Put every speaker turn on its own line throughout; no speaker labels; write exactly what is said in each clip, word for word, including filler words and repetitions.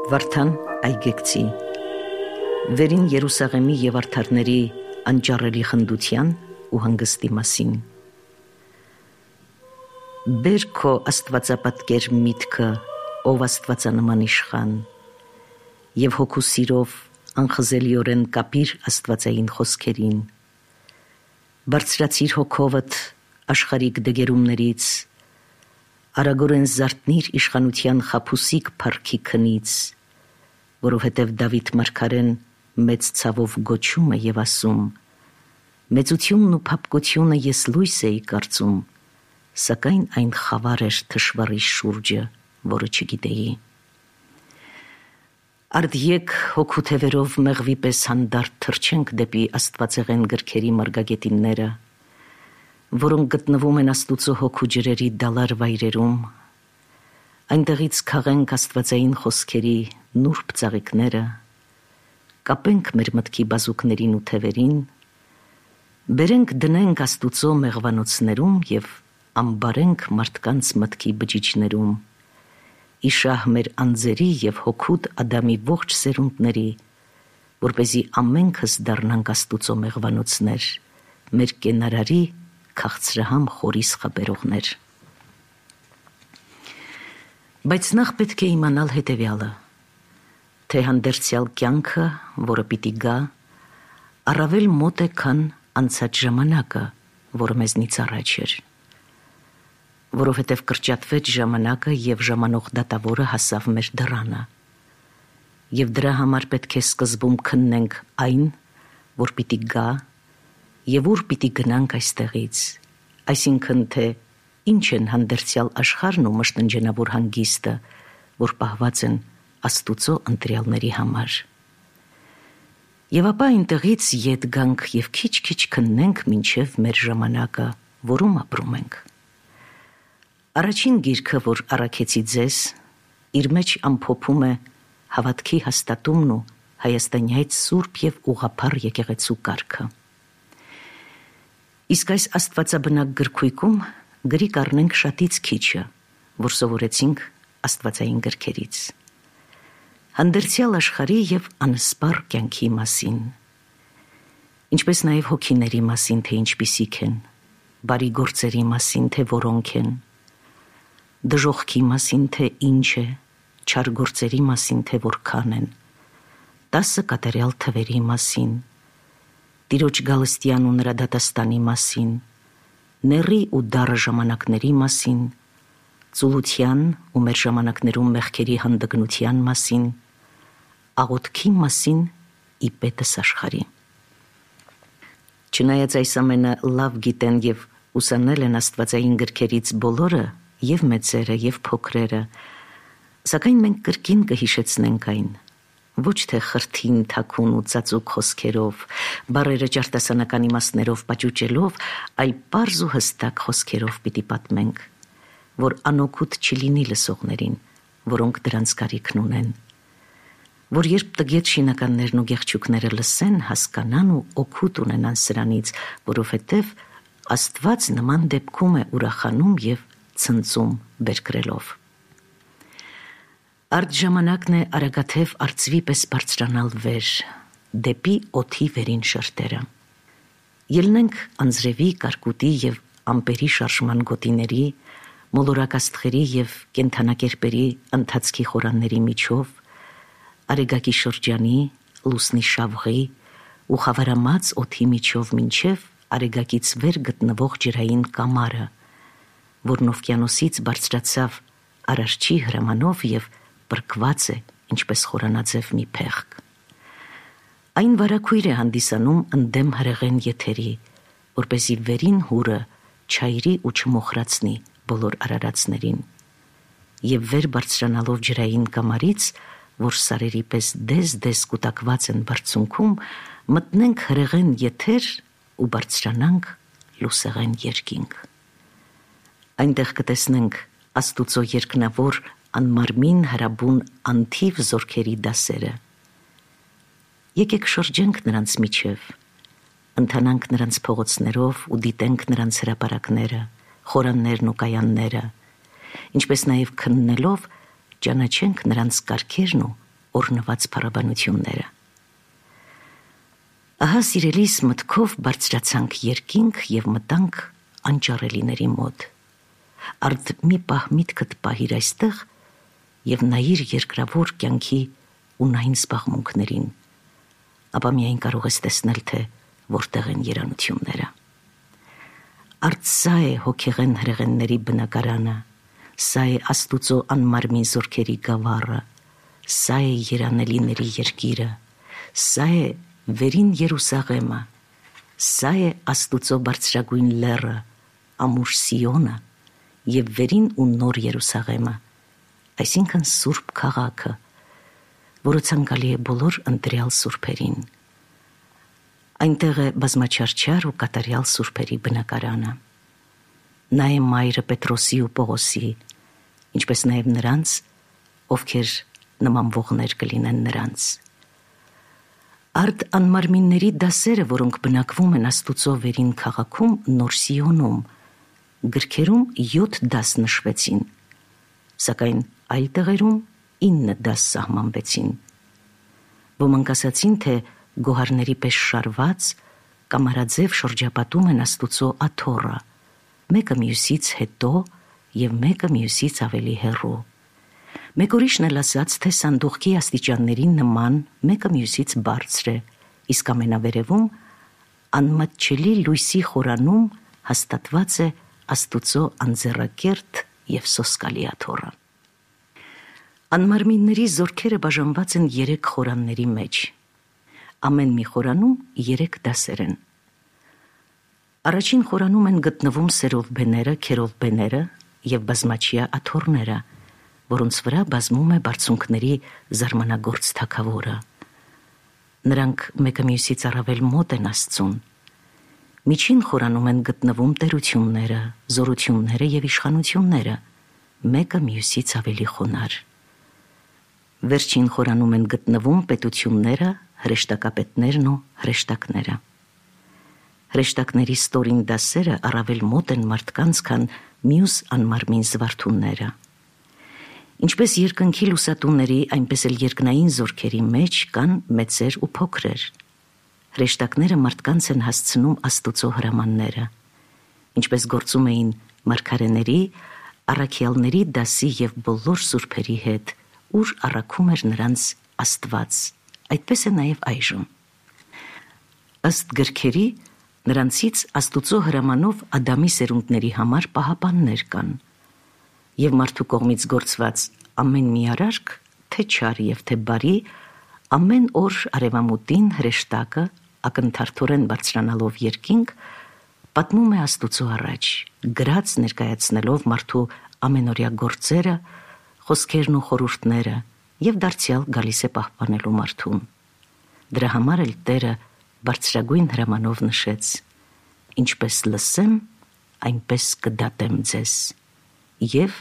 Վարդան Այգեկցի Վերին Երուսաղեմի և արդարների անճառելի խնդության ու հանգստի մասին։ Բեր քո աստվածապատկեր միտքը, ով աստվածանման իշխան, և հոգու սիրով անխզելիորեն կապիր աստվածային խոսքերին։ Բարձրացիր հոգովդ աշխարհիկ դգերումներից, արագորեն զարթնիր իշխանության խաբուսիկ փառքի քնից, որովհետև Դավիթ մարգարեն մեծ ցավով գոչում է և ասում. մեծությունն ու փափկությունը ես լույս էի կարծում, սակայն այն խավար էր թշվառի շուրջը, որը չգիտեի։ Արդ եկ հոգու թևերով մեղվի պես հանդարտ թռչենք դեպի աստվածեղեն գրքերի մարգագետինները, որոնք գտնվում են Աստուծո հոգու ջրերի դալար վայրերում, այնտեղից քաղենք աստվածային խոսքերի նուրբ ծաղիկները, կապենք մեր մտքի բազուկներին ու թևերին, բերենք դնենք Աստուծո մեղվանոցներում և ամբարենք մարդկանց մտքի բջիջներում, իշահ մեր անձերի և հոգուտ Ադամի ողջ սերունդների, որպեսզի ամենքս դառնանք Աստուծո մեղվանոցներ, մեր կենարարի քաղցրահամ խորիս խաբերողներ։ Բայց նախ պետք է իմանալ հետևյալը, թե հանդերձյալ կյանքը, որը պիտի գա, առավել մոտ է, քան անցած ժամանակը, որը մեզնից առաջ էր, որովհետև կրճատվեց ժամանակը և ժամանող դատավորը հասավ մեր դռանը, և դրա համար պետք է սկզբում քննենք այն, որ պիտի գա, և ուր պիտի գնանք այստեղից, այսինքն թե ինչ են հանդերձյալ աշխարհն ու մշտնջենավոր հանգիստը, որ պահված են Աստուծո ընտրյալների համար։ Եվ ապա այնտեղից ետ գանք և քիչ-քիչ քննենք մինչև մեր ժամանակը, որում ապրում ենք։ Առաջին գիրքը, որ առաքեցի ձեզ, իր մեջ ամփոփում է հավատքի հաստատումն ու հայաստանյայց սուրբ և ուղղափառ եկեղեցու կարգը։ Իսկ այս աստվածաբնակ գրքույկում գրի կառնենք շատից քիչը, որ սովորեցինք աստվածային գրքերից։ Հանդերձյալ աշխարհի և անսպառ կյանքի մասին, ինչպես նաև հոգիների մասին, թե ինչպիսիք են, բարի գործերի մասին, թե որոնք են, դժոխքի մասին, թե ինչ է, չար գործերի մասին, թե որքան են, տասը կատարյալ թվերի մասին, Տիրոջ գալստյան ու նրա դատաստանի մասին, նեռի ու դառը ժամանակների մասին, ծուլության ու մեր ժամանակներում մեղքերի հանդգնության մասին, աղոթքի մասին ի պետս աշխարհի։ Չնայած այս ամենը լավ գիտեն և ուսանել են աստվածային գրքերից բոլորը, և մեծերը, և փոքրերը, սակայն մենք կրկին կհիշեցնենք այն, ոչ թե խրթին, թաքուն ու ծածուկ խոսքերով, բառերը ճարտասանական իմաստներով պաճուճելով, այլ պարզ ու հստակ խոսքերով պիտի պատմենք, որ անօգուտ չլինի լսողներին, որոնք դրանց կարիքն ունեն, որ երբ տգետ շինականներն ու գեղչուկները լսեն, հասկանան ու օգուտ ունենան սրանից, որովհետև Աստված նման դեպքում է ուրախանում և ցնծում բերկրելով։ Արդ ժամանակն է արագաթև արծվի պես բարձրանալ վեր, դեպի օդի վերին շերտերը։ Ելնենք անձրևի, կարկուտի և ամպերի շարժման գոտիների, մոլորակ աստղերի և կենդանակերպերի ընթացքի խորանների միջով, արեգակի շրջանի, լուսնի շավղի ու խավարամած օդի միջով մինչև արեգակից վեր գտնվող ջրային կամարը, որն օվկիանոսից բարձրացավ Արարչի հրամանով և պրկված է, ինչպես խորանաձև մի փեղկ։ Այն վարագույր է հանդիսանում ընդդեմ հրեղեն եթերի, որպեսզի վերին հուրը չայրի ու չմոխրացնի բոլոր արարածներին, և վեր բարձրանալով ջրային կամարից, որ սարերի պես դես-դես կուտակված են բարձունքում, մտնենք հրեղեն եթեր ու բարձրանանք լուսեղեն երկինք։ Այնտեղ կտեսնենք Աստուծո երկնավոր անմարմին հրաբուն անթիվ զորքերի դասերը։ Եկեք շրջենք նրանց միջև, ընթանանք նրանց փողոցներով ու դիտենք նրանց հրապարակները, խորաններն ու կայանները, ինչպես նաև քննելով ճանաչենք նրանց կարգերն ու օրնված փառաբանությունները։ Ահա սիրելիս մտքով բարձրացանք երկինք եւ մտանք անճարելիների մոտ։ Արդ մի պահ միտքդ պահիր այստեղ եւ նայիր երկրավոր կյանքի ունային զբաղմունքներին, ապա միայն կարող ես տեսնել, թե որտեղ են երանությունները։ Արդ սա է հոգեղեն հրեղենների բնակարանը, սա է Աստուծո անմարմին զորքերի գավառը, սա է երանելիների երկիրը, սա է վերին Երուսաղեմը, սա է Աստուծո բարձրագույն լեռը, ամուր Սիոնը եւ վերին ու նոր Երուսաղեմը, այսինքն Սուրբ քաղաքը, որը ցանկալի է բոլոր ընտրյալ սուրբերին։ Այնտեղ է բազմաչարչար ու կատարյալ սուրբերի բնակարանը։ Նա է մայրը Պետրոսի ու Պողոսի, ինչպես նաև նրանց, ովքեր նմանվողներ կլինեն նրանց։ Արդ անմարմինների դասերը, որոնք բնակվում են Աստուծո վերին քաղաքում Նոր Սիոնում, գրքերում յոթ դաս նշվեցին, սակայն այլ տեղերում ինը դաս սահմանվեցին։ Ոմանք ասացին, թե գոհարների պես շարված կամարաձև շրջապատում են Աստուծո աթոռը, մեկը մյուսից հետո եւ մեկը մյուսից ավելի հեռու։ Մեկ ուրիշն էլ ասաց, թե սանդուղքի աստիճանների նման մեկը մյուսից բարձր է, իսկ ամենավերևում անմատչելի լույսի խորանում հաստատված է Աստուծո անձեռակերտ եւ սոսկալի աթոռը։ Անմարմինների զորքերը բաժանված են երեք խորանների մեջ։ Ամեն մի խորանում երեք դասեր են։ Առաջին խորանում են գտնվում սերովբեները, քերովբեները եւ բազմաչիա աթոռները, որոնց վրա բազմում է բարձունքների զարմանագործ թագավորը։ Նրանք մեկը մյուսից առավել մոտ են Աստծուն։ Միջին խորանում են գտնվում տերությունները, զորությունները եւ իշխանությունները, մեկը մյուսից ավելի խոնար։ Վերջին խորանում են գտնվում պետությունները, հրեշտակապետներն ու հրեշտակները։ Հրեշտակների ստորին դասերը առավել մոտ են մարդկանց, քան մյուս անմարմին զվարթունները։ Ինչպես երկնքի լուսատուների, այնպես էլ երկնային զորքերի մեջ կան մեծեր ու փոքրեր։ Հրեշտակները մարդկանց են հասցնում Աստուծո հրամանները, ինչպես գործում էին մարգարեների, առաքյալների դասի եւ բոլոր սուրբերի հետ, ուր առաքում էր նրանց Աստված, այդպես է նաեւ այժմ։ Ըստ գրքերի, նրանցից Աստուծո հրամանով Ադամի սերունդների համար պահապաններ կան, եւ մարդու կողմից գործված ամեն մի արարք, թե չար եւ թե բարի, ամեն օր արևամուտին հրեշտակը ակնթարթորեն բարձրանալով երկինք, պատմում է Աստուծո առաջ, գրած ներկայացնելով մարդու ամենօրյա գործերը, խոսքերն ու խորհուրդները եւ դարձյալ գալիս է պահպանելու մարդուն։ Դրա համար էլ Տերը բարձրագույն հրամանով նշեց. ինչպես լսեմ, այնպես կդատեմ ձեզ։ Եվ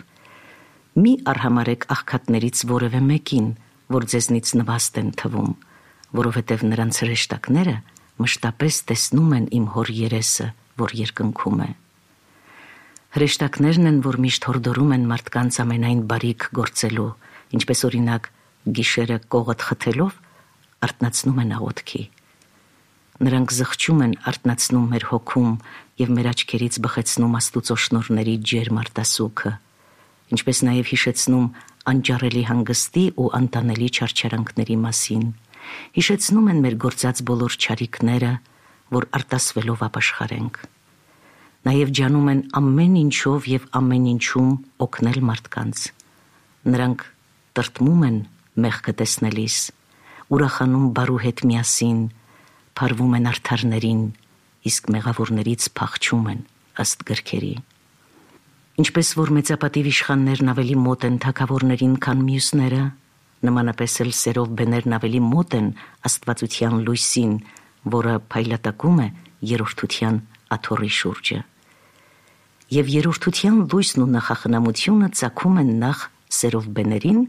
մի արհամարեք աղքատներից որևէ մեկին, որ ձեզնից նվաստ են թվում, որովհետև նրանց հրեշտակները մշտապես տեսնում են իմ հոր երեսը, որ երկնքում է։ Հրեշտակներն են, որ միշտ հորդորում են մարդկանց ամենայն բարիք գործելու, ինչպես օրինակ գիշերը կողդ խթելով արթնացնում են աղոթքի։ Նրանք զղջում են արթնացնում մեր հոգում եւ մեր աչքերից բխեցնում Աստուծո շնորհների ջերմ արտասուքը, ինչպես նաեւ հիշեցնում անճարելի հանգստի ու անտանելի չարչարանքների մասին, հիշեցնում են մեր գործած բոլոր չարիքները, որ արտասվելով ապաշխարենք։ Նաեւ ջանում են ամեն ինչով եւ ամեն ինչում օգնել մարդկանց։ Նրանք տրտմում են մեղքը տեսնելիս, ուրախանում բարու հետ միասին, փարվում են արդարներին, իսկ մեղավորներից փախչում են ըստ գրքերի։ Ինչպես որ մեծապատիվ իշխաններն ավելի մոտ են թագավորներին, քան մյուսները, նմանապես էլ սերովբեներն ավելի մոտ են աստվածության լույսին, որը փայլատակում է երրորդության աթոռի շուրջը։ Եվ երրորդության լույսն ու նախախնամությունը ծագում են նախ սերովբեներին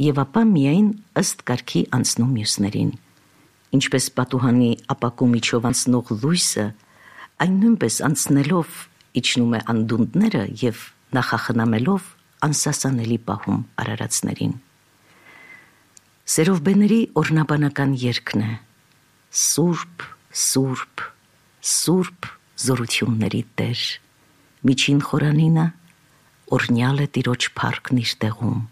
եւ ապա միայն ըստ կարգի անցնում մյուսներին։ Ինչպես պատուհանի ապակու միջով անցնող լույսը, այն նույնպես անցնելով իջնում է անդունդները եւ նախախնամելով անսասանելի պահում արարածներին։ Սերովբեների օրնաբանական երգն է. Սուրբ, Սուրբ, Սուրբ զորությունների Տեր, միջին խորանինը օրնյալ է Տիրոջ փառքն իր տեղում,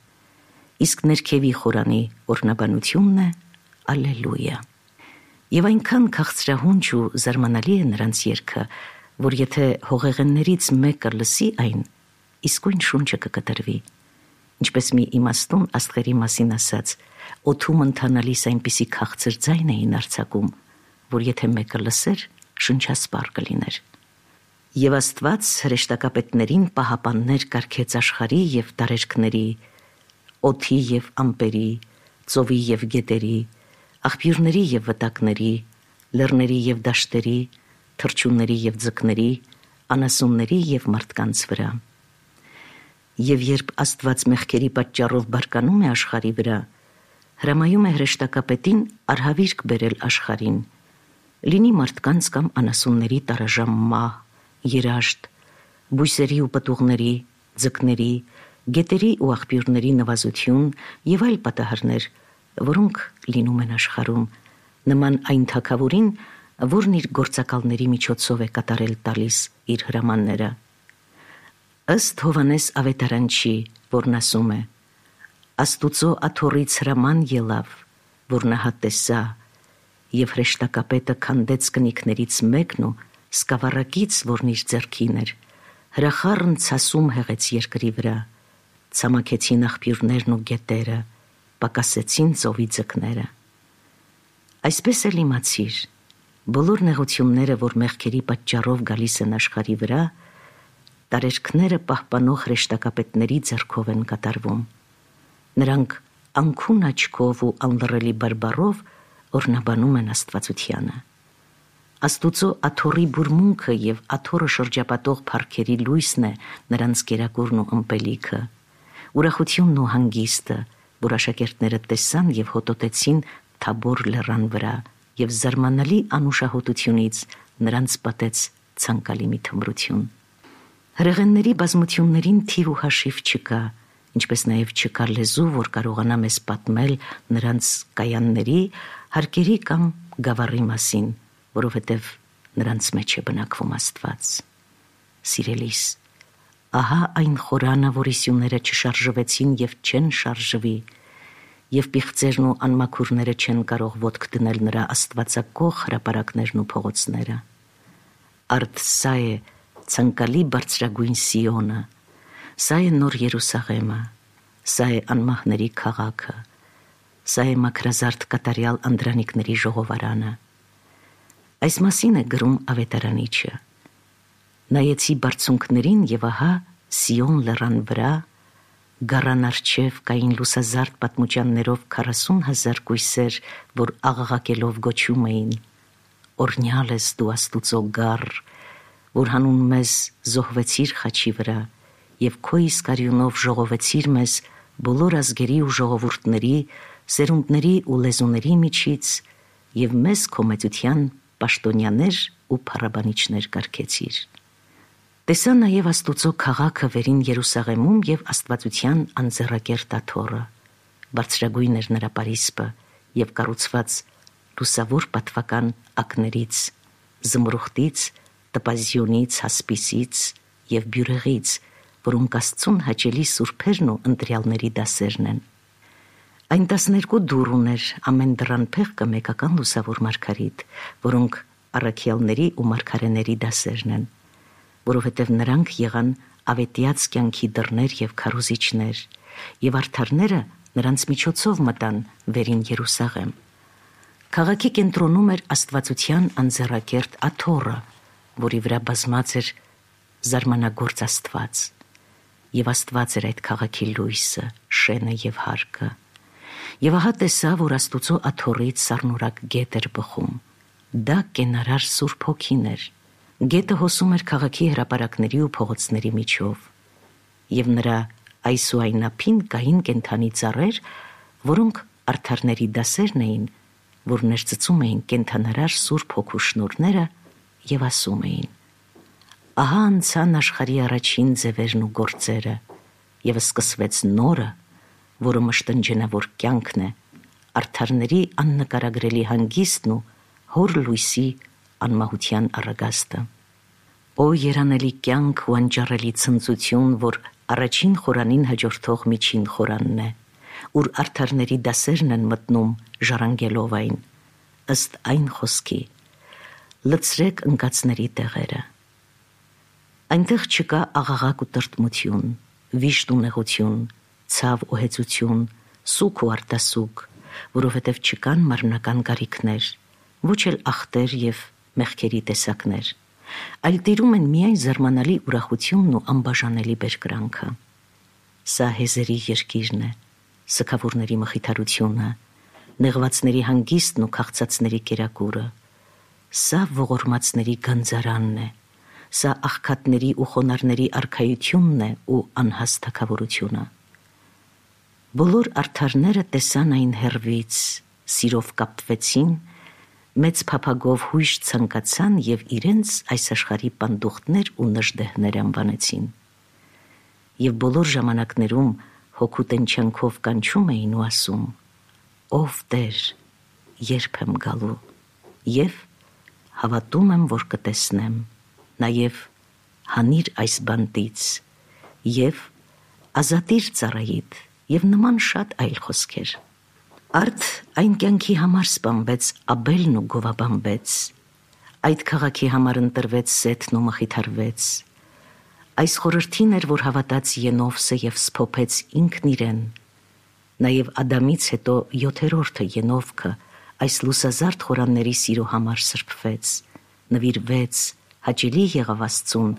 իսկ ներքևի խորանի օրնաբանությունն է Ալելույա։ Եվ այնքան քաղցրահունչ ու զարմանալի է նրանց երգը, որ եթե հողեղեններից մեկը լսի այն, իսկույն շունչը կկտրվի, ինչպես մի իմաստուն աստղերի մասին ասած, օդում ընթանալիս այնպիսի քաղցր ձայն էին արձակում, որ եթե մեկը լսեր, շնչասպառ կլիներ։ Եվ Աստված հրեշտակապետներին պահապաններ կարգեց աշխարհի և տարերքների, օդի և ամպերի, ծովի և գետերի, աղբյուրների և վտակների, լեռների և դաշտերի, թռչունների և ձկների, անասունների և մարդկանց վրա։ Եվ երբ Աստված մեղքերի պատճառով բարկանում է աշխարհի վրա, հրամայում է հրեշտակապետին արհավիրք բերել աշխարհին, լինի մարդկանց կամ անասունների տարաժամ մահ, երաշտ, բույսերի ու պտուղների, ձկների, գետերի ու աղբյուրների նվազություն և այլ պատահարներ, որոնք լինում են աշխարհում, նման այն թագավորին, որն իր գործակալների միջոցով է կատարել տալիս իր հրամանները։ Ըստ Հովհաննես Ավետարանչի, որն ասում է. Աստուծո աթոռից հրաման ելավ, որ նա տեսա, և հրեշտակապետը քանդեց կնիկներից մեկն ու սկավառակից, որն իր ձեռքին էր, հրախառն ցասում հեղեց երկրի վրա, ցամաքեցին աղբյուրներն ու գետերը, պակասեցին ծովի ձկները։ Այսպես էլ իմացիր, բոլոր նեղությունները, որ մեղքերի պատճառով գալիս են աշխարհի վրա, տարերքները պահպանող հրեշտակապետների ձեռքով են կատարվում։ Նրանք անքուն աչքով ու անլռելի բարբառով օրնաբանում են Աստվածությանը։ Աստուծո աթոռի բուրմունքը և աթոռը շրջապատող փառքերի լույսն է նրանց կերակուրն ու ըմպելիքը, ուրախությունն ու հանգիստը, որ աշակերտները տեսան և հոտոտեցին Թաբոր լեռան վրա, և զարմանալի անուշահոտությունից նրանց պատեց ցանկալի մի թմրություն։ Հրեղենների բազմություններին թիվ ու հաշիվ չկա, ինչպես նաև չկա լեզու, որ կարողանա մեզ պատմել նրանց կայանների, հարկերի կամ գավառի մասին, որովհետև նրանց մեջ է բնակվում Աստված։ Սիրելիս, ահա այն խորանը, որի սյուները չշարժվեցին և չեն շարժվի, և պիղծերն ու անմաքուրները չեն կարող ոտք դնել նրա աստվածակող հրապարակներն ու փողոցները։ Արդ սա է ցանկալի բարձրագույն Սիոնը, սա է նոր Երուսաղեմը, սա է անմահների քաղաքը, սա է մաքրազարդ կատարյալ անդրանիկների ժողովարանը։ Այս մասին է գրում Ավետարանիչը. նայեցի բարձունքներին և ահա Սիոն լեռան վրա գառան առջև կային լուսազարդ պատմուճաններով քառասուն հազար կույսեր, որ աղաղակելով գոչում էին. օրհնյալ ես դու Աստուծո գառ, որ հանուն մեզ զոհվեցիր խաչի վրա և քո իսկ արյունով ժողովեցիր մեզ բոլոր ազգերի ու ժողովուրդների, սերունդների ու լեզուների միջից և մեզ քո մեծության պաշտոնյաներ ու փառաբանիչներ կարգեցիր։ Տեսա նաև Աստուծո քաղաքը վերին Երուսաղեմում և Աստվածության անձեռակերտ աթոռը, բարձրագույն էր նրա պարիսպը և կառուցված լուսավոր պատվական ակներից, զմրուխտից, տպազիոնից, հասպիսից և բյուրեղից, որոնք Աստծուն հաճելի սուրբերն ու ընտրյալների դասերն են։ Այն տասներկու դուռ ուներ, ամեն դռան փեղկը մեկական լուսավոր մարգարիտ, որոնք առաքյալների ու մարգարեների դասերն են, որովհետև նրանք եղան ավետյաց կյանքի դռներ և քարոզիչներ, և արդարները նրանց միջոցով մտան վերին Երուսաղեմ։ Քաղաքի կենտրոնում էր Աստվածության անձեռակերտ աթոռը, որի վրա բազմած էր զարմանագործ Աստված, և Աստված էր այդ քաղաքի լույսը, շենը և հարկը։ Եվ ահա տեսա, որ Աստուծո աթոռից սառնորակ գետ էր բխում, դա կենարար Սուրբ Հոգին էր։ Գետը հոսում էր քաղաքի հրապարակների ու փողոցների միջով, և նրա այս ու այն ափին կային կենդանի ծառեր, որոնք արդարների դասերն էին, որ ներծծում էին կենդանարար Սուրբ Հոգու շնորհները և ասում էին. ահա անցան աշխարհի առաջին ձևերն ու գործերը, և սկսվեց նորը, որը մշտնջենավոր կյանքն է, արդարների աննկարագրելի հանգիստն ու հոր լույսի անմահության առագաստը։ Օ երանելի կյանք ու անճարելի ցնծություն, որ առաջին խորանին հաջորդող միջին խորանն է, ուր արդարների դասերն են մտնում ժառանգելով այն, ըստ այն խոսքի. լցրեք ընկածների տեղերը։ Այնտեղ չկա աղաղակ ու տրտմություն, վիշտ ու նեղություն, ցավ ու հեծություն, սուգ ու արտասուգ, որովհետև չկան մարմնական կարիքներ, ոչ էլ ախտեր և մեղքերի տեսակներ, այլ տիրում են միայն զարմանալի ուրախությունն ու անբաժանելի բերկրանքը։ Սա հեզերի երկիրն է, սգավորների մխիթարությունը, նեղվածների հանգիստն ու քաղցածների կերակուրը, սա ողորմածների գանձարանն է, սա աղքատների ու խոնարհների արքայությունն է ու անհաստ թագավորությունը։ Բոլոր արդարները տեսան այն հեռվից, սիրով կապվեցին, մեծ փափագով հույժ ցանկացան և իրենց այս աշխարհի պանդուխտներ ու նժդեհներ անվանեցին։ Եվ բոլոր ժամանակներում հոգու տենչանքով կանչում էին ու ասում. «Ով Տեր, երբ եմ գալու, և հավատում եմ, որ կտեսնեմ, նաև հանիր այս բանտից, և ազատիր ծառայիդ», և նման շատ այլ խոսքեր։ Արդ այն կյանքի համար սպանվեց Աբելն ու գովաբանվեց, այդ քաղաքի համար ընտրվեց Սեթն ու մխիթարվեց, այս խորհրդին էր, որ հավատաց Ենովսը և սփոփեց ինքն իրեն, նաև Ադամից հետո յոթերորդը Ենովքը այս լուսազարդ խորանների սիրո համար սրբվեց, նվիրվեց, հաճելի եղավ Աստծուն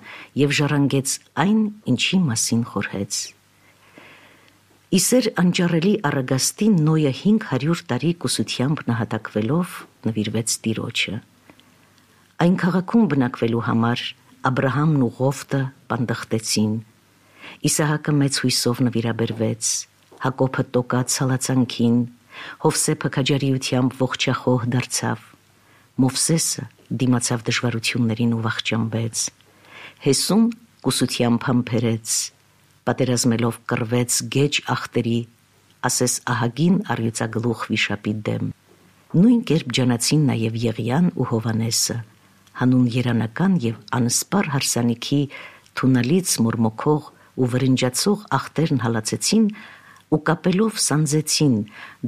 և ժառանգեց այն, ինչի մասին խորհեց։ Իսեր անճարելի առագաստին Նոյը հինգ հարյուր տարի կուսությամբ նահատակվելով նվիրվեց Տիրոջը։ Այն քաղաքում բնակվելու համար Աբրահամն ու Ղովտը պանդխտեցին, Իսահակը մեծ հույսով նվիրաբերվեց, Հակոբը տոկաց հալածանքին, Հովսեփը քաջարիությամբ ողջախոհ դարձավ, Մովսեսը դիմացավ դժվարություններին ու վախճանվեց, Հեսուն կուսությամբ համբերեց, պատերազմելով կռվեց գեջ ախտերի, ասես ահագին առյուծագլուխ վիշապի դեմ։ Նույն կերպ ջանացին նաև Եղիան ու Հովանեսը, հանուն երանական և անսպառ հարսանիքի թունալից մորմոքող ու վրնջացող ախտերն հալածեցին ու կապելով սանձեցին,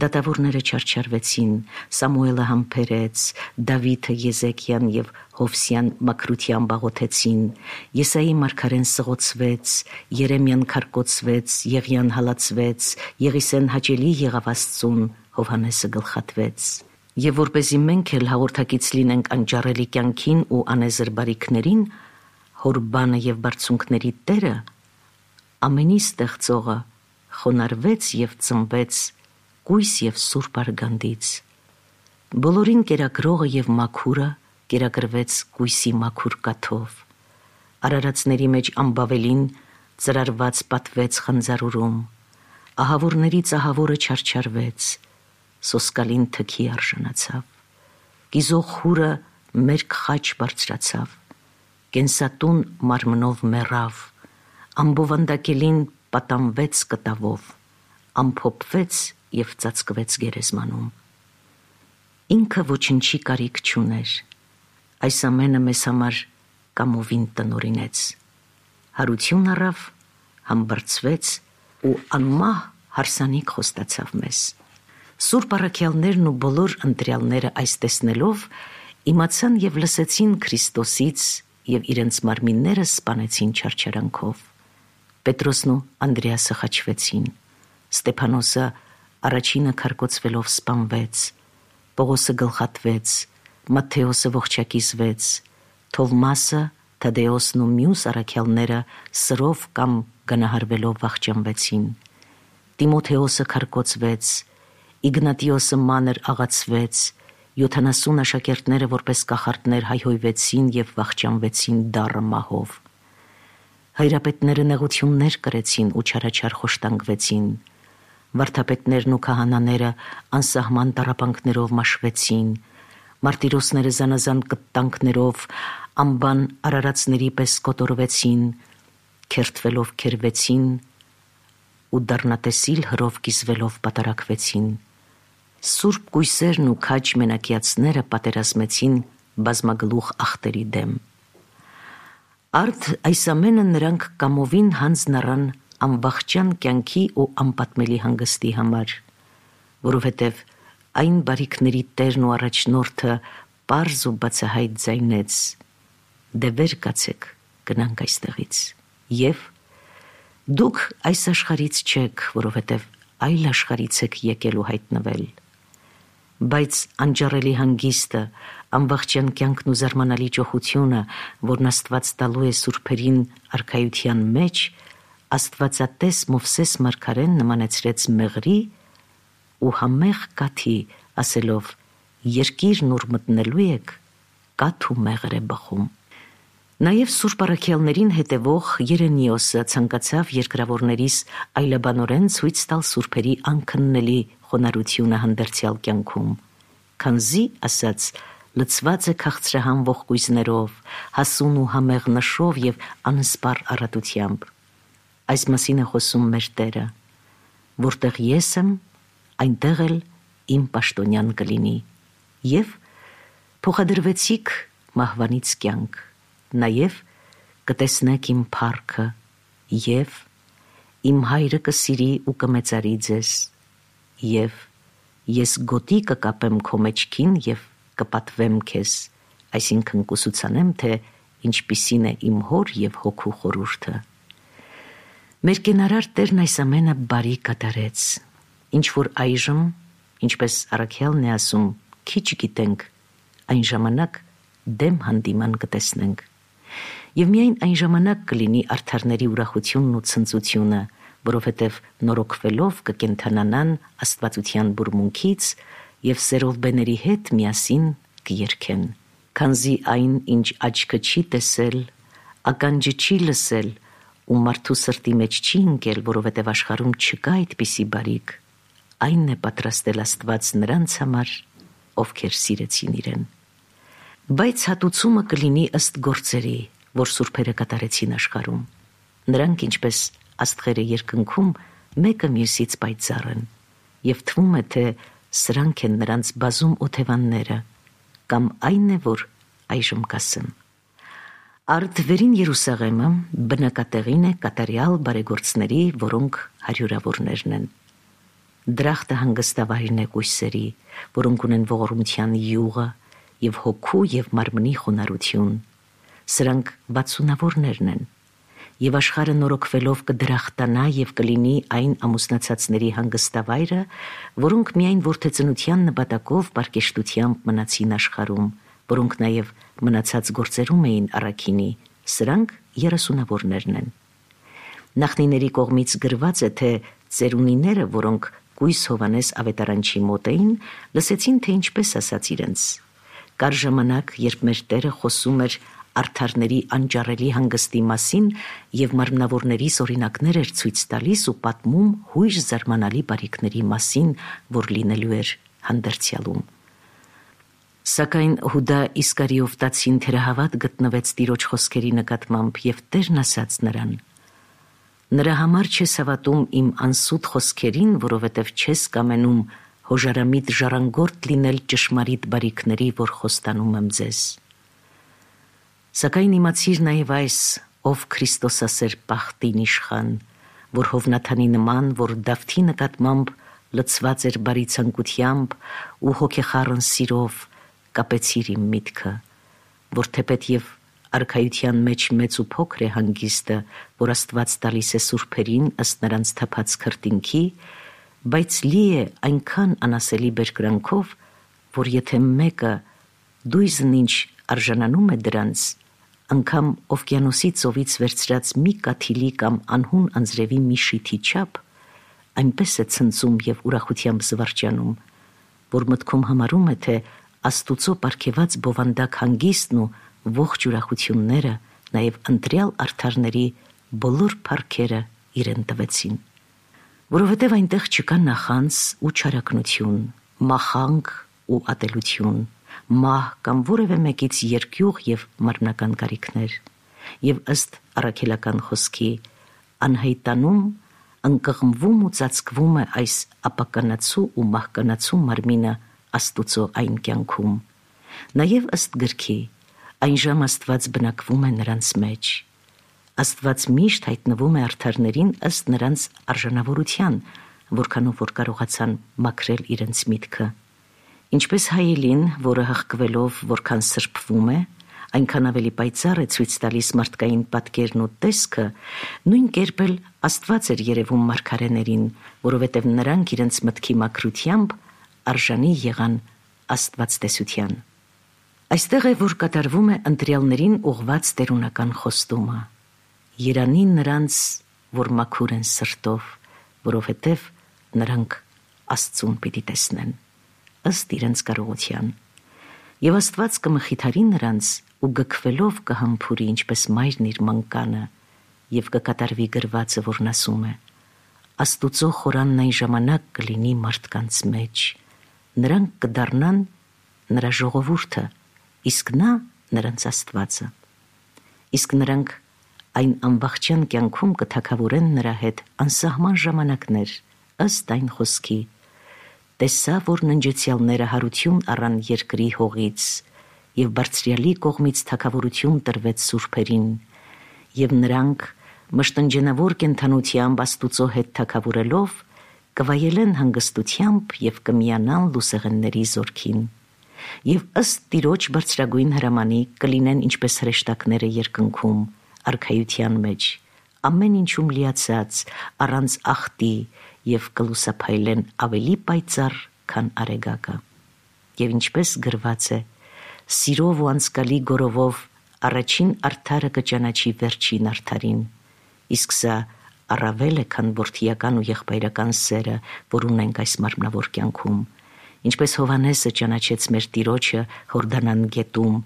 դատավորները չարչարվեցին, Սամուելը համբերեց, Դավիթը Եզեկիան և Հովսյան մաքրությամբ աղոթեցին, Եսայի մարգարեն սղոցվեց, Երեմիան քարկոծվեց, Եղիան հալածվեց, Եղիսեն հաճելի եղավ Աստծուն, Հովհաննեսը գլխատվեց։ Եվ որպեսզի մենք էլ հաղորդակից լինենք անճարելի կյանքին ու անեզր բարիքներին, հոր բանը և բարձունքների Տերը, ամենի ստեղծողը, խոնարհվեց և ծնվեց կույս և սուրբ արգանդից։ Բոլորին կերակրողը և մաքուրը կերակրվեց կույսի մաքուր կաթով։ Արարածների մեջ ամբավելին ծրարված պատվեց խնձարուրում, ահավորներից ահավորը չարչարվեց, սոսկալին թքի արժանացավ, կիզող խուրը մերկ խաչ բարձրացավ, կենսատուն մարմնով մեռավ, ամբովանդակելին պատանվեց կտավով, ամփոփվեց և ծածկվեց գերեզմանում։ Ինքը ոչնչի կարիք չուներ, այս ամենը մեզ համար կամովին տնօրինեց, հարություն առավ, համբարձվեց ու անմահ հարսանիք խոստացավ մեզ։ Սուրբ առաքյալներն ու բոլոր ընտրյալները այս տեսնելով իմացան և լսեցին Քրիստոսից և իրենց մարմինները սպանեցին չարչարանքով։ Պետրոսն ու Անդրեասը խաչվեցին, Ստեփանոսը առաջինը քարկոծվելով սպանվեց, Պողոսը գլխատվեց, Մատթեոսը ողջակիզվեց, Թովմասը, Թադեոսն ու մյուս առաքյալները սրով կամ գնահարվելով վախճանվեցին, Տիմոթեոսը քարկոծվեց, Իգնատիոսը մանր աղացվեց, յոթանասուն աշակերտները որպես կախարդներ հայհոյվեցին և վախճանվեցին դառը մահով։ Հայրապետները նեղություններ կրեցին ու չարաչար խոշտանգվեցին, վարդապետներն ու քահանաները անսահման տառապանքներով մաշվեցին, մարտիրոսները զանազան կտանքներով անբան արարածների պես կոտորվեցին, քերթվելով քերվեցին ու դառնատեսիլ հրով կիզվելով պատարակվեցին, Սուրբ կույսերն ու քաջ մենակիացները պատերազմեցին բազմագլուխ ախտերի դեմ։ Արդ այս ամենը նրանք կամովին հանձն առան անվախճան կյանքի ու անպատմելի հանգստի համար, որովհետև այն բարիքների տերն ու առաջնորդը պարզ ու բացահայտ ձայնեց. «Դե վեր կացեք, գնանք այստեղից, և դուք այս աշխարհից չեք, որովհետև այլ աշխարհից եք եկել ու հայտնվել»։ Բայց անջառելի հանգիստը, անվախճան կյանքն ու զարմանալի ճոխությունը, որն Աստված տալու է սուրբերին արքայության մեջ, աստվածատես Մովսես մարգարեն նմանեցրեց մեղրի ու համեղ կաթի, ասելով. «Երկիրն ուր մտնելու եք, կաթ ու մեղր է բխում»։ Նաև Սուրբ առաքյալներին հետևող Երեմիոսը ցանկացավ երկրավորներիս այլաբանորեն ցույց տալ սուրբերի անքննելի խոնարհությունը հանդերձյալ կյանքում, քանզի, ասաց, լցված է քաղցրահան ողկույզներով, հասուն ու համեղ նշով և անսպառ առատությամբ։ Այս մասին է խոսում մեր Տերը. «Որտեղ ես եմ, այնտեղ էլ իմ պաշտոնյան կլինի, և փոխադրվեցիք մահվանից կյանք, նաև կտեսնեք իմ փառքը, և իմ հայրը կսիրի ու կմեծարի ձեզ, և ես գոտի կկապեմ քո մեջքին և կպատվեմ քեզ», այսինքն կուսուցանեմ, թե ինչպիսին է իմ հոր և հոգու խորհուրդը։ Մեր կենարար Տերն այս ամենը բարի կատարեց, ինչ որ այժմ, ինչպես առաքյալն է ասում, քիչ գիտենք, այն ժամանակ դեմ հանդիման կտեսնենք։ Եվ միայն այն ժամանակ կլինի արդարների ուրախությունն ու ցնծությունը, որովհետև նորոգվելով կկենդանանան աստվածության բուրմունքից և սերովբեների հետ միասին կերքեն, քանզի այն, ինչ աչքը չի տեսել, ականջը չի լսել ու մարդու սրտի մեջ չի ընկել, որովհետև աշխարհում չկա այդպիսի բարիք, այն է պատրաստել Աստված նրանց համար, ովքեր սիրեցին իրեն։ Բայց հատուցումը կլինի ըստ գործերի, որ սուրբերը կատարեցին աշխարհում։ Նրանք, ինչպես աստղերը երկնքում, մեկը մյուսից պայծառ են, և թվում է, թե սրանք են նրանց բազում օթևանները, կամ այն է, որ այժմ կասեմ։ Արդ վերին Երուսաղեմը բնակատեղին է կատարյալ բարեգործների, որոնք հարյուրավորներն են։ Դրախտը հանգստավայրն է կույսերի, որոնք ունեն ողորմության յուղը և հոգու և մարմնի խոնարհություն, սրանք վաթսունավորներն են, և աշխարհը նորոգվելով կդրախտանա և կլինի այն ամուսնացածների հանգստավայրը, որոնք միայն որդեծնության նպատակով պարկեշտությամբ մնացին աշխարհում, որոնք նաև մնացած գործերում էին առաքինի, սրանք երեսունավորներն են։ Նախնիների կողմից գրված է, թե ծերունիները, որոնք կույս Հովհաննես ավետարանչի մոտ էին, լսեցին, թե ինչպես ասաց իրենց։ Կար ժամանակ, երբ մեր Տերը խոսում էր արդարների անճառելի հանգստի մասին և մարմնավորներիս օրինակներ էր ցույց տալիս ու պատմում հույժ զարմանալի բարիքների մասին, որ լինելու էր հանդերձյալում։ Սակայն Հուդա Իսկարիովտացին թերահավատ գտնվեց Տիրոջ խոսքերի նկատմամբ, և Տերն ասաց նրան. «Նրա համար չես հավատում իմ անսուտ խոսքերին, որովհետև չես կամենում հոժարամիտ ժառանգորդ լինել ճշմարիտ բարիքների, որ խոստանում եմ ձեզ։ Սակայն իմացիր նաև այս, ով Քրիստոսասեր պախտին իշխան, որ Հովնաթանի նման, որ Դավթի նկատմամբ լցված էր բարի ցանկությամբ ու հոգեխառն սիրով, կապեցիր իմ միտքը, որ թեպետ և արքայության մեջ մեծ ու փոքր է հանգիստը, որ Աստված տալիս է սուրբերին ըստ նրանց թափած քրտինքի, բայց լի է այնքան անասելի բերկրանքով, որ եթե մեկը դույզն ինչ արժանանում է դրանց, անգամ օվկիանոսի ծովից վերցրած մի կաթիլի կամ անհուն անձրևի մի շիթի չափ, այնպես է ցնծում և ուրախությամբ զվարճանում, որ մտքում համարում է, թե Աստուծո պարգևած բովանդակ հանգիստն ու ողջ ուրախությունները նաև ընտրյալ արդարների բոլոր փառքերը իրեն տվեցին, որովհետև այնտեղ չկա նախանձ ու չարագնություն, մախանք ու ատելություն, մահ կամ որևէ մեկից երկյուղ և մարմնական կարիքներ, և ըստ առաքելական խոսքի, անհայտանում ընկղմվում ու ծածկվում է այս ապականացու ու մահկանացու մարմինը Աստուծո այն կյանքում։ Նաև ըստ գրքի, այն ժամ Աստված բնակվում է նրանց մեջ։ Աստված միշտ հայտնվում է արդարներին ըստ նրանց արժանավորության, որքանով որ կարողացան մաքրել իրենց միտքը։ Ինչպես հայելին, որը հղկվելով որքան սրբվում է, այնքան ավելի պայծառ է ցույց տալիս մարդկային պատկերն ու տեսքը, նույն կերպ էլ Աստված էր երևում մարգարեներին, որովհետև նրանք իրենց մտքի մաքրությամբ արժանի եղան աստվածտեսության։ Այստեղ է, որ կատարվում է ընտրյալներին ուղված տերունական խոստումը. Երանի նրանց, որ մաքուր են սրտով, որովհետև նրանք Աստծուն պիտի տեսնեն, ըստ իրենց կարողության։ Եվ Աստված կմխիթարի նրանց ու գքվելով կհամբուրի ինչպես մայրն իր մանկանը, եւ կկատարվի գրվածը, որն ասում է. Աստուծո խորանն այն ժամանակ կլինի մարդկանց մեջ, նրանք կդառնան նրա ժողովուրդը, իսկ նա նրանց Աստվածը։ Իսկ նրանք այն ամբողջյան կյանքում կթագավորեն նրա հետ անսահման ժամանակներ, ըստ այն խոսքի. տեսա, որ ննջեցյալները հարություն առան երկրի հողից, եւ բարձրյալի կողմից թագավորություն տրվեց սուրբերին, եւ նրանք մշտնջենավոր կենդանությամբ Աստուծո հետ թագավորելով կվայելեն հանգստությամբ եւ կմիանան լուսեղենների զորքին, եւ ըստ Տիրոջ բարձրագույն հրամանի կլինեն ինչպես հրեշտակները երկնքում, արքայության մեջ, ամեն ինչում լիացած, առանց ախտի, եւ կլուսափայլեն ավելի պայծառ, քան արեգակը։ Եվ ինչպես գրված է. սիրով ու անցկալի գորովով առաջին արդարը կճանաչի վերջին արդարին, իսկ սա առավել է, քան որդիական ու եղբայրական սերը, որ ունենք այս մարմնավոր կյանքում, ինչպես Հովհաննեսը ճանաչեց մեր Տիրոջը Հորդանան գետում,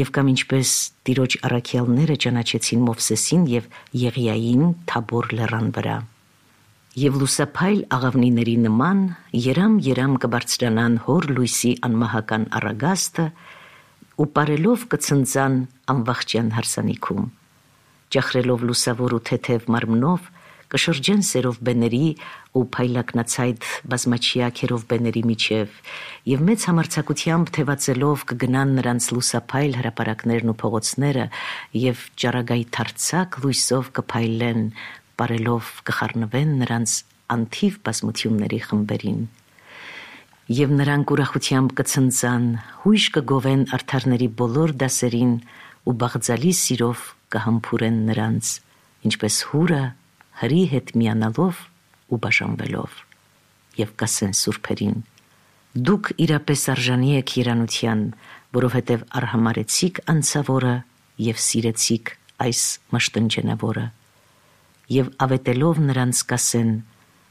եւ կամ ինչպես Տիրոջ առաքյալները ճանաչեցին Մովսեսին եւ Եղիային Թաբոր լեռան վրա։ Եվ լուսափայլ աղավնիների նման երամ-երամ կբարձրանան հոր լույսի անմահական առագաստը ու պարելով կցնծան անվախճան հարսանիքում։ Ճախրելով լուսավոր ու թեթև մարմնով կշրջեն սերով բեների ու փայլակնացայդ բազմաչիա քերով բեների միջև եւ մեծ համարձակությամբ թևածելով կգնան նրանց լուսափայլ հրապարակներն ու փողոցները եւ ճառագայթարցակ լույսով կփայլեն, պարելով կխառնվեն նրանց անթիվ բազմությունների խմբերին։ Եվ նրանք ուրախությամբ կցնծան, հույժ կգովեն արդարների բոլոր դասերին ու բաղձալի սիրով կհամբուրեն նրանց, ինչպես հուրը հրի հետ միանալով ու բաժանվելով, եւ կասեն սուրբերին. դուք իրապես արժանի եք երանության, որովհետև արհամարեցիք անցավորը եւ սիրեցիք այս մաշտնջենավորը, եւ ավետելով նրանց կասեն.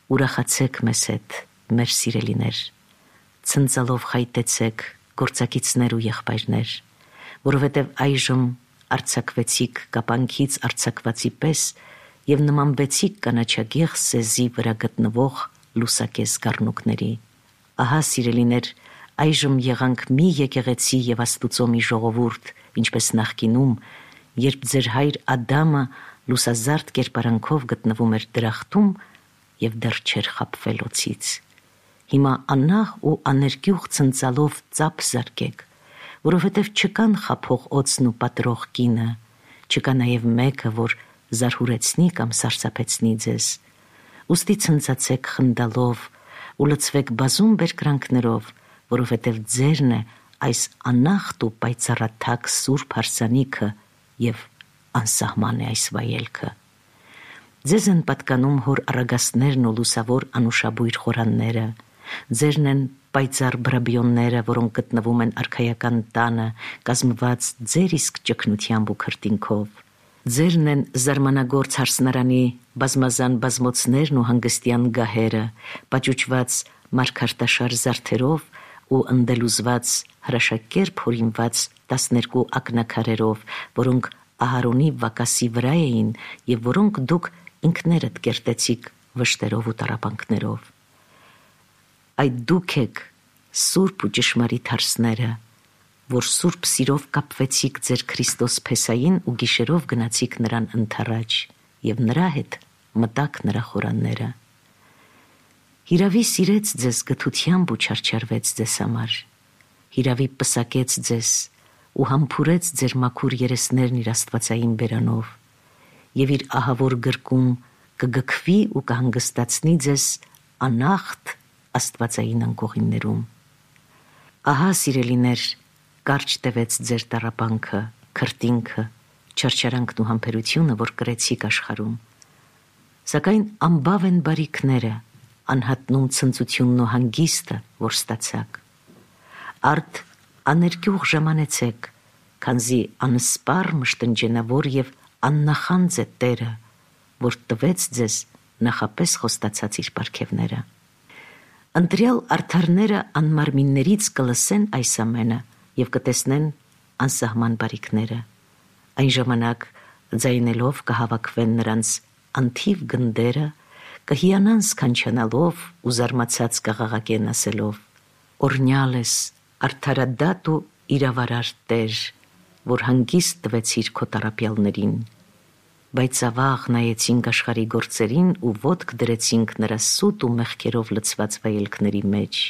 ուրախացեք մեզ հետ, մեր սիրելիներ, ցնծալով խայտեցեք, գործակիցներ ու եղբայրներ, որովհետև այժմ արձակվեցիք կապանքից արձակվածի պես եւ նմանվեցիք կանաչագեղ սեզի վրա գտնվող լուսակես գառնուկների։ Ահա, սիրելիներ, այժմ եղանք մի եկեղեցի եւ Աստուծո մի ժողովուրդ, ինչպես նախկինում, երբ ձեր հայր Ադամը լուսազարդ կերպարանքով գտնվում էր դրախտում եւ դեռ չէր խաբվել օձից։ Հիմա աննախ ու աներկյուղ ցնծալով ծափ զարկեք, որովհետև չկան խափող օձն ու պատրող կինը, չկա նաև մեկը, որ զարհուրեցնի կամ սարսափեցնի ձեզ։ Ուստի ցնծացեք խնդալով ու լցվեք բազում բերկրանքներով, որովհետև ձերն է այս անախտ ու պայծառաթակ սուրբ հարսանիքը եւ անսահման է այս վայելքը։ Ձեզ են պատկանում հոր առագաստներն ու լուսավոր անուշաբույր խորանները, ձերն են պայծառ բրաբիոնները, որոնք գտնվում են արքայական տանը, կազմված ձեր իսկ ճգնությամբ ու քրտինքով։ Ձերն են զարմանագործ հարսնարանի բազմազան բազմոցներն ու հանգստյան գահերը, պաճուճված մարգարտաշար զարդերով ու ընդելուզված հրաշակերպ հորինված տասներկու ակնաքարերով, որոնք Ահարոնի վակասի վրա էին եւ որոնք դուք ինքներդ կերտեցիք վշտերով ու տառապանքներով։ Այդ դուք եք սուրբ ու ճշմարիտ հարսները, որ սուրբ սիրով կապվեցիք ձեր Քրիստոս Փեսային ու գիշերով գնացիք նրան ընթառաջ եւ նրա հետ մտաք նրա խորանները։ Հիրավի սիրեց ձեզ գթությամբ ու չարչարվեց ձեզ համար, հիրավի պսակեց ձեզ ու համբուրեց ձեր մաքուր երեսներն իր աստվածային բերանով, եւ իր ահավոր գրկում կգքվի ու կհանգստացնի ձեզ անախտ աստվածային անկողիններում։ Ահա, սիրելիներ, կարճ տևեց ձեր տառապանքը, քրտինքը, չարչարանքն ու համբերությունը, որ կրեցիք աշխարհում, սակայն անբավ են բարիքները, անհատնում ցնծությունն ու հանգիստը, որ ստացաք։ Արդ աներկյուղ ժամանեցեք, քանզի անսպառ մշտնջենավոր եւ աննախանձ է Տերը, որ տվեց ձեզ նախապես խոստացած իր պարգևները։ Ընտրյալ արդարները անմարմիններից կլսեն այս ամենը եւ կտեսնեն անսահման բարիքները։ Այն ժամանակ ձայնելով կհավաքվեն նրանց անթիվ գնդերը, կհիանան սքանչանալով ու զարմացած կղաղակեն ասելով. «Օրհնյալ ես, արդարադատ ու իրավարար Տեր, որ հանգիստ տվեցիր քո տառապյալներին, բայց ավաղ նայեցինք աշխարհի գործերին ու ոտք դրեցինք նրա սուտ ու մեղքերով լցված վայելքների մեջ,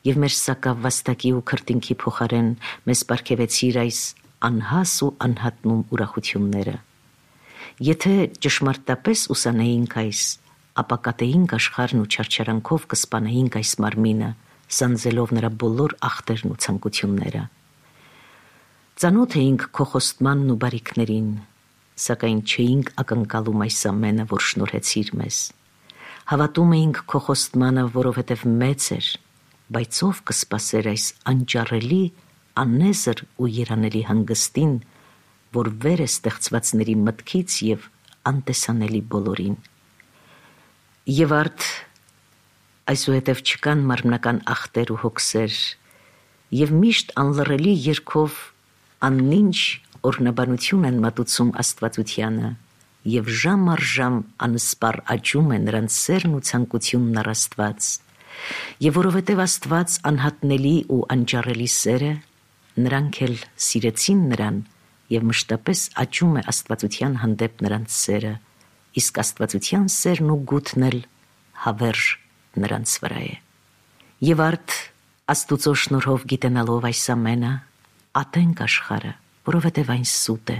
եւ մեր սակավ-վաստակի ու քրտինքի փոխարեն մեզ պարգևեցիր այս անհաս ու անհատնում ուրախությունները։ Եթե ճշմարտապես ուսանեինք այս, ապա կատեինք աշխարհն ու չարչարանքով կսպանեինք այս մարմինը, սանձելով նրա բոլոր ախտերն ու ցանկությունները։ Ծանոթ էինք քո խոստմանն ու բարիքներին, սակայն չէինք ակնկալում այս ամենը, որ շնորհեցիր մեզ։ Հավատում էինք քո խոստմանը, որովհետև մեծ էր, բայց ով կսպասեր այս անճարելի, անեզր ու երանելի հանգստին, որ վեր է ստեղծվածների մտքից եւ անտեսանելի բոլորին։ Եվ արդ այսուհետև չկան մարմնական ախտեր ու հոգսեր, եւ միշտ անլռելի երգով աննինչ օրհնաբանություն են մատուցում Աստվածությանը, եւ ժամ առ ժամ անսպառ աճում է նրանց սերն ու ցանկությունն առ Աստված, եւ որովհետեւ Աստված անհատնելի ու անճարելի սեր է, նրանք էլ սիրեցին նրան, եւ մշտապես աճում է Աստվածության հանդեպ նրանց սերը, իսկ Աստվածության սերն ու գութն էլ հավերժ նրանց վրա է։ Եվ արդ Աստուծո շնորհով գիտենալով այս ամենը, ատենք աշխարհը, որովհետև այն սուտ է,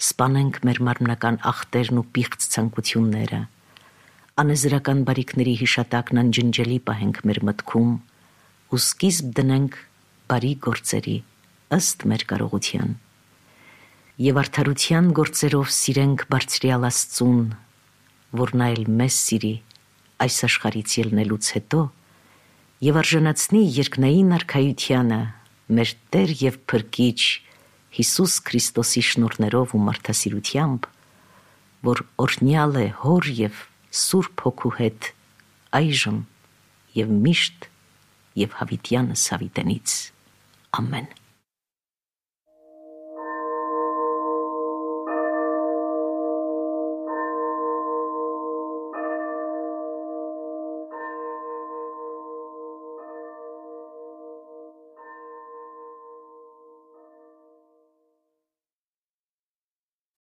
սպանենք մեր մարմնական ախտերն ու պիղծ ցանկությունները, անեզրական բարիքների հիշատակն անջնջելի պահենք մեր մտքում ու սկիզբ դնենք բարի գործերի ըստ մեր կարողության։ Եվ արդարության գործերով սիրենք բարձրյալ Աստծուն, որ նա էլ մեզ սիրի այս աշխարհից ելնելուց հետո եւ արժանացնի երկնային արքայությանը մեր Տեր եւ Փրկիչ Հիսուս Քրիստոսի շնորհներով ու մարդասիրությամբ, որ օրհնյալ է Հոր եւ Սուրբ Հոգու հետ այժմ եւ միշտ եւ հավիտյանս հավիտենից։ Ամեն։